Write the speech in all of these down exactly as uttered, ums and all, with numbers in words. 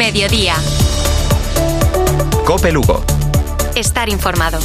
Mediodía. COPE Lugo. Estar informado.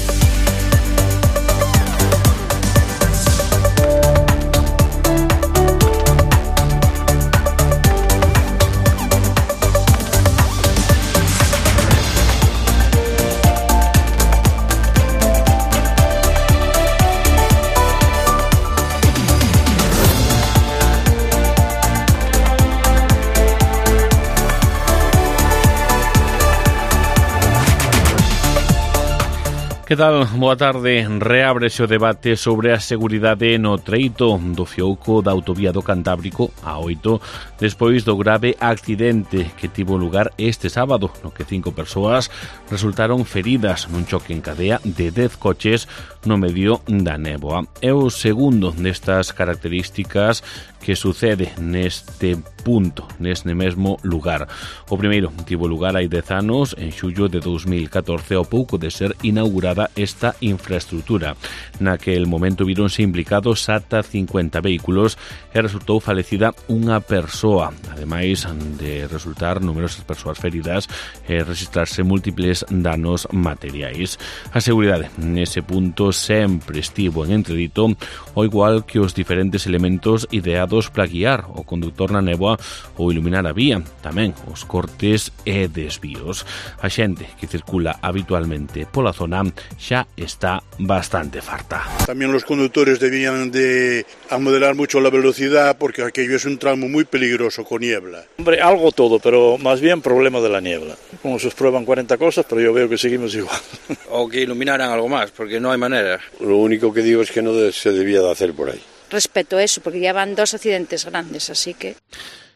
Que tal? Boa tarde. Reábrese o debate sobre a seguridade no treito do fiouco da autovía do Cantábrico A oito despois do grave accidente que tivo lugar este sábado, no que cinco persoas resultaron feridas nun choque en cadea de dez coches no medio da néboa. É o segundo destas características que sucede neste punto, neste mesmo lugar. O primeiro tivo lugar hai dez anos, en xullo de dous mil catorce, ao pouco de ser inaugurada esta infraestructura. Naquel momento vironse implicados ata cincuenta vehículos e resultou falecida unha persoa, ademais de resultar numerosas persoas feridas e registrarse múltiples danos materiais. A seguridade nese punto sempre estivo en entredito, ao igual que os diferentes elementos ideados para guiar o conductor na néboa ou iluminar a vía, tamén os cortes e desvíos. A xente que circula habitualmente pola zona xa está bastante farta. También los conductores debían de amoderar mucho la velocidad porque aquello es un tramo muy peligroso con niebla. Hombre, algo todo, pero más bien problema de la niebla. Como se prueban cuarenta cosas, pero yo veo que seguimos igual. O que iluminaran algo más, porque no hay manera. Lo único que digo es que no se debía de hacer por ahí. Respeto eso, porque ya van dos accidentes grandes, así que...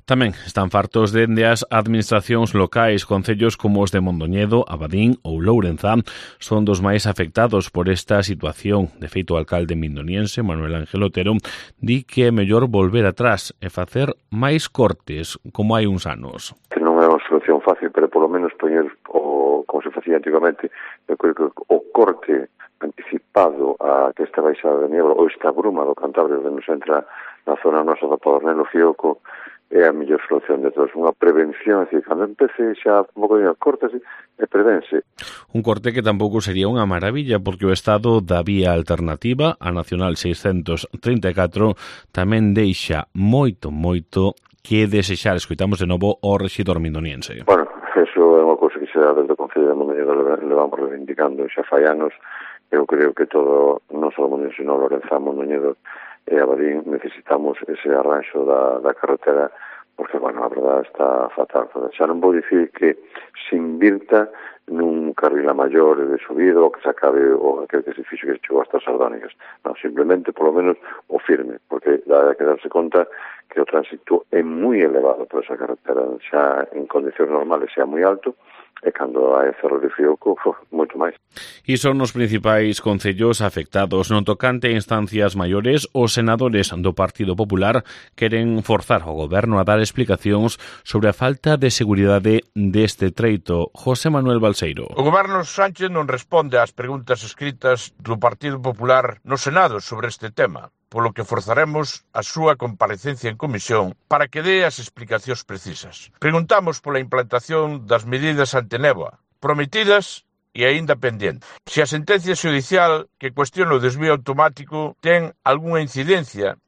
Tamén están fartos dende as administracións locais. Concellos como os de Mondoñedo, Abadín ou Lourenza son dos máis afectados por esta situación. De feito, o alcalde mindoniense, Manuel Ángel Otero, di que é mellor volver atrás e facer máis cortes, como hai uns anos. Que non é unha solución fácil, pero polo menos poñer o, como se facía antigamente, eu creo que o corte anticipado a que esta baixada de niebla ou esta bruma do Cantábrico que nos entra na zona nosa da Padornelo Fioco é a mellor solución de todos. Unha prevención, é dicir, cando empece xa un pouco de cortes e prevense. Un corte que tampouco sería unha maravilla porque o estado da vía alternativa, a Nacional seiscentos trinta e catro, tamén deixa moito, moito que desexar. Escoitamos de novo o rexidor mindoniense. Bueno, eso é unha cousa que xa desde o Concello de Mondoñedo levamos reivindicando xa fai anos. Eu creo que todo, non só Mondoñedo, sino Lorenza, Mondoñedo e Abadín, necesitamos ese arranxo da, da carretera, porque, bueno, a verdade está fatal. Xa non vou dicir que se invirta nun carril a maior de subida ou que se acabe o aquel que se fixo que chegou hasta as Sardónicas. Non, simplemente, polo menos, o firme, porque dá que darse conta que o tránsito é moi elevado por esa carretera, xa en condicións normales xa moi alto, e cando hai cerro de Fioco, moito máis. E son os principais concellos afectados. No tocante a instancias maiores, os senadores do Partido Popular queren forzar o goberno a dar explicacións sobre a falta de seguridade deste treito. José Manuel Balseiro. O goberno Sánchez non responde ás preguntas escritas do Partido Popular no Senado sobre este tema, polo que forzaremos a súa comparecencia en comisión para que dé as explicacións precisas. Preguntamos pola implantación das medidas antenéboa, prometidas e aínda pendentes. Se a sentencia xudicial que cuestiona o desvío automático ten algunha incidencia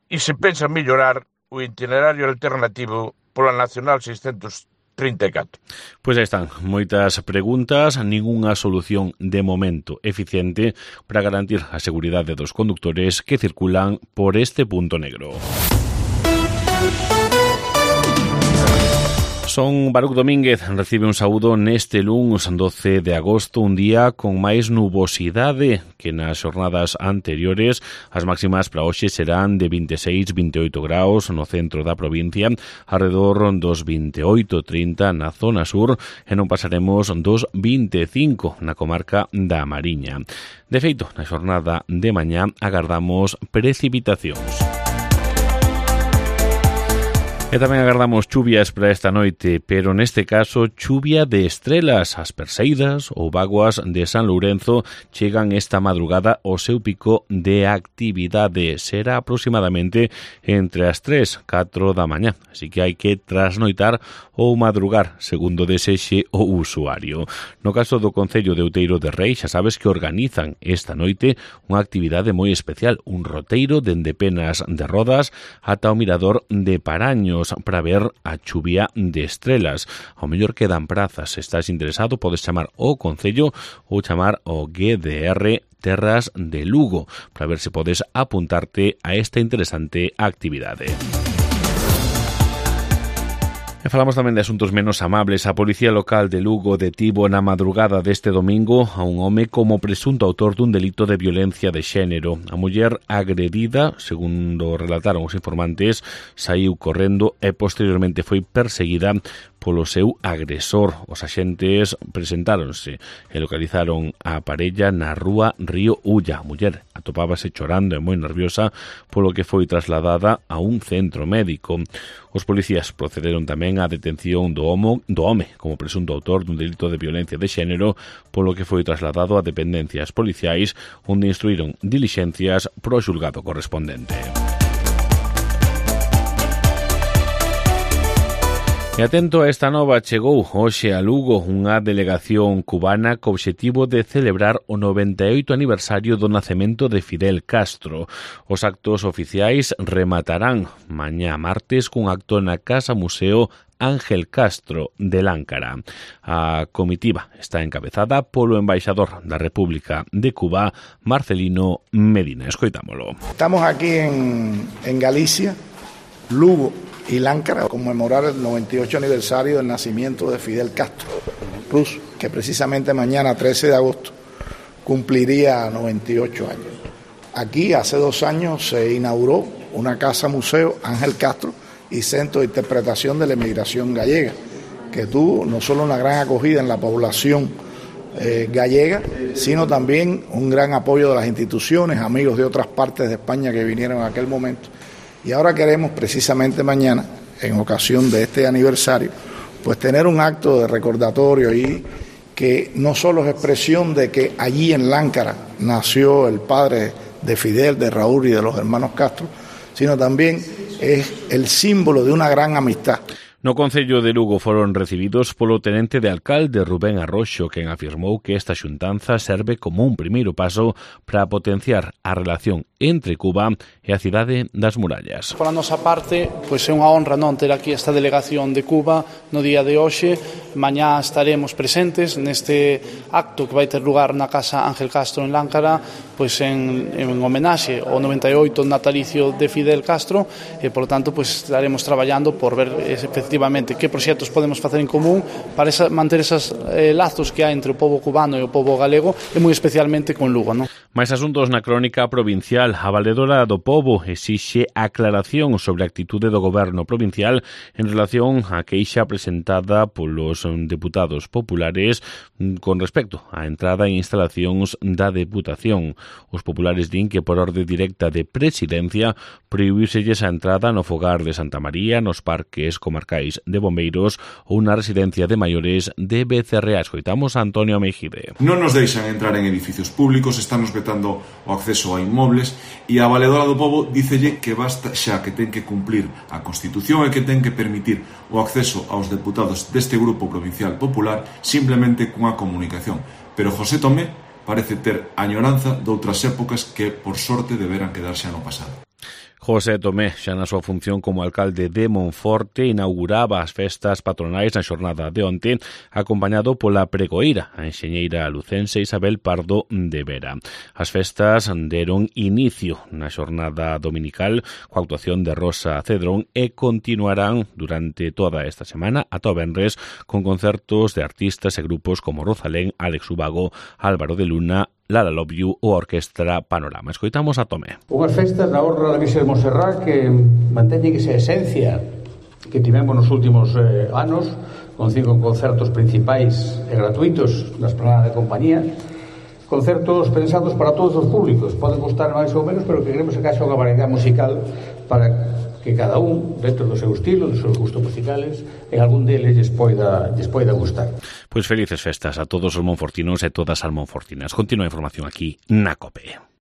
e se pensa mellorar o itinerario alternativo pola Nacional seiscentos trinta e catro. Pois aí están, moitas preguntas, ningunha solución de momento eficiente para garantir a seguridade dos condutores que circulan por este punto negro. Son Baruc Domínguez, recibe un saúdo neste luns doce de agosto, un día con máis nubosidade que nas xornadas anteriores. As máximas para hoxe serán de vinte e seis a vinte e oito graus no centro da provincia, alrededor dos vinte e oito a trinta na zona sur e non pasaremos dos vinte e cinco na comarca da Mariña. De feito, na xornada de mañá agardamos precipitacións. E tamén agardamos chuvias para esta noite, pero neste caso chuvia de estrelas. As Perseidas ou vaguas de San Lourenzo chegan esta madrugada ao seu pico de actividade. Será aproximadamente entre as tres e catro da mañá, así que hai que trasnoitar ou madrugar, segundo desexe o usuario. No caso do Concello de Outeiro de Rei, xa sabes que organizan esta noite unha actividade moi especial, un roteiro dende Penas de Rodas ata o Mirador de Paraños, para ver a chuvia de estrelas. Ao mellor quedan prazas. Se estás interesado, podes chamar ao Concello ou chamar ao G D R Terras de Lugo para ver se podes apuntarte a esta interesante actividade. E falamos tamén de asuntos menos amables. A Policía Local de Lugo detivo na madrugada deste domingo a un home como presunto autor dun delito de violencia de xénero. A muller agredida, segundo relataron os informantes, saiu correndo e posteriormente foi perseguida polo seu agresor. Os axentes presentáronse e localizaron a parella na rúa Río Ulla. A muller atopábase chorando e moi nerviosa, polo que foi trasladada a un centro médico. Os policías procederon tamén á detención do homo, do home como presunto autor dun delito de violencia de xénero, polo que foi trasladado a dependencias policiais, onde instruíron dilixencias pro xulgado correspondente. E atento a esta nova, chegou hoxe a Lugo unha delegación cubana co obxectivo de celebrar o noventa e oito aniversario do nacemento de Fidel Castro. Os actos oficiais rematarán mañá martes cun acto na Casa Museo Ángel Castro de Láncara. A comitiva está encabezada polo embaixador da República de Cuba, Marcelino Medina. Escoitámolo. Estamos aquí en, en Galicia, Lugo y Láncara, a conmemorar el noventa y ocho aniversario del nacimiento de Fidel Castro, ruso, que precisamente mañana, trece de agosto, cumpliría noventa y ocho años. Aquí, hace dos años, se inauguró una casa museo, Ángel Castro, y centro de interpretación de la emigración gallega, que tuvo no solo una gran acogida en la población eh, gallega, sino también un gran apoyo de las instituciones, amigos de otras partes de España que vinieron en aquel momento. Y ahora queremos precisamente mañana, en ocasión de este aniversario, pues tener un acto de recordatorio y que no solo es expresión de que allí en Láncara nació el padre de Fidel, de Raúl y de los hermanos Castro, sino también es el símbolo de una gran amistad. No Concello de Lugo foron recibidos polo tenente de alcalde Rubén Arroxo, quen afirmou que esta xuntanza serve como un primeiro paso para potenciar a relación entre Cuba e a cidade das murallas. Por a nosa parte, pois é unha honra non ter aquí esta delegación de Cuba no día de hoxe. Mañá estaremos presentes neste acto que vai ter lugar na Casa Ángel Castro en Láncara, pois en, en homenaxe ao noventa e oito natalicio de Fidel Castro, e por tanto pois estaremos traballando por ver efectivamente que proxectos podemos facer en común para esa, manter esos eh, lazos que hai entre o pobo cubano e o pobo galego, e moi especialmente con Lugo, non? Mais asuntos na crónica provincial. A valedora do pobo exixe aclaración sobre a actitude do goberno provincial en relación á queixa presentada polos deputados populares con respecto á entrada e instalacións da Deputación. Os populares din que por orde directa de presidencia prohibíselles a entrada no fogar de Santa María, nos parques comarcais de bombeiros ou na residencia de maiores de Becerrea. Escoitamos a Antonio Mejide. Non nos deixan entrar en edificios públicos, están nos vetando o acceso a inmobles, e a valedora do pobo dícelle que basta xa, que ten que cumplir a Constitución e que ten que permitir o acceso aos deputados deste grupo provincial popular simplemente cunha comunicación. Pero José Tomé parece ter añoranza doutras épocas que, por sorte, deberan quedar xa no pasado. José Tomé, xa na súa función como alcalde de Monforte, inauguraba as festas patronais na xornada de onte, acompañado pola pregoeira, a enxeñeira lucense Isabel Pardo de Vera. As festas deron inicio na xornada dominical coa actuación de Rosa Cedrón e continuarán durante toda esta semana ata o venres con concertos de artistas e grupos como Rosalén, Alex Ubago, Álvaro de Luna, Lala Love You ou a Orquestra Panorama. Escoitamos a Tomé. Unhas festas na honra da Virxe de Montserrat que manteñen esa esencia que tivemos nos últimos eh, anos, con cinco concertos principais e gratuitos na Esplanada de Compañía, concertos pensados para todos os públicos. Poden costar máis ou menos, pero que queremos que haxa unha variedade musical para que cada un, dentro do seu estilo, dos seus gustos musicales, en algún deles lles poida, lles poida gustar. Pois felices festas a todos os monfortinos e todas as monfortinas. Continúa a información aquí na COPE.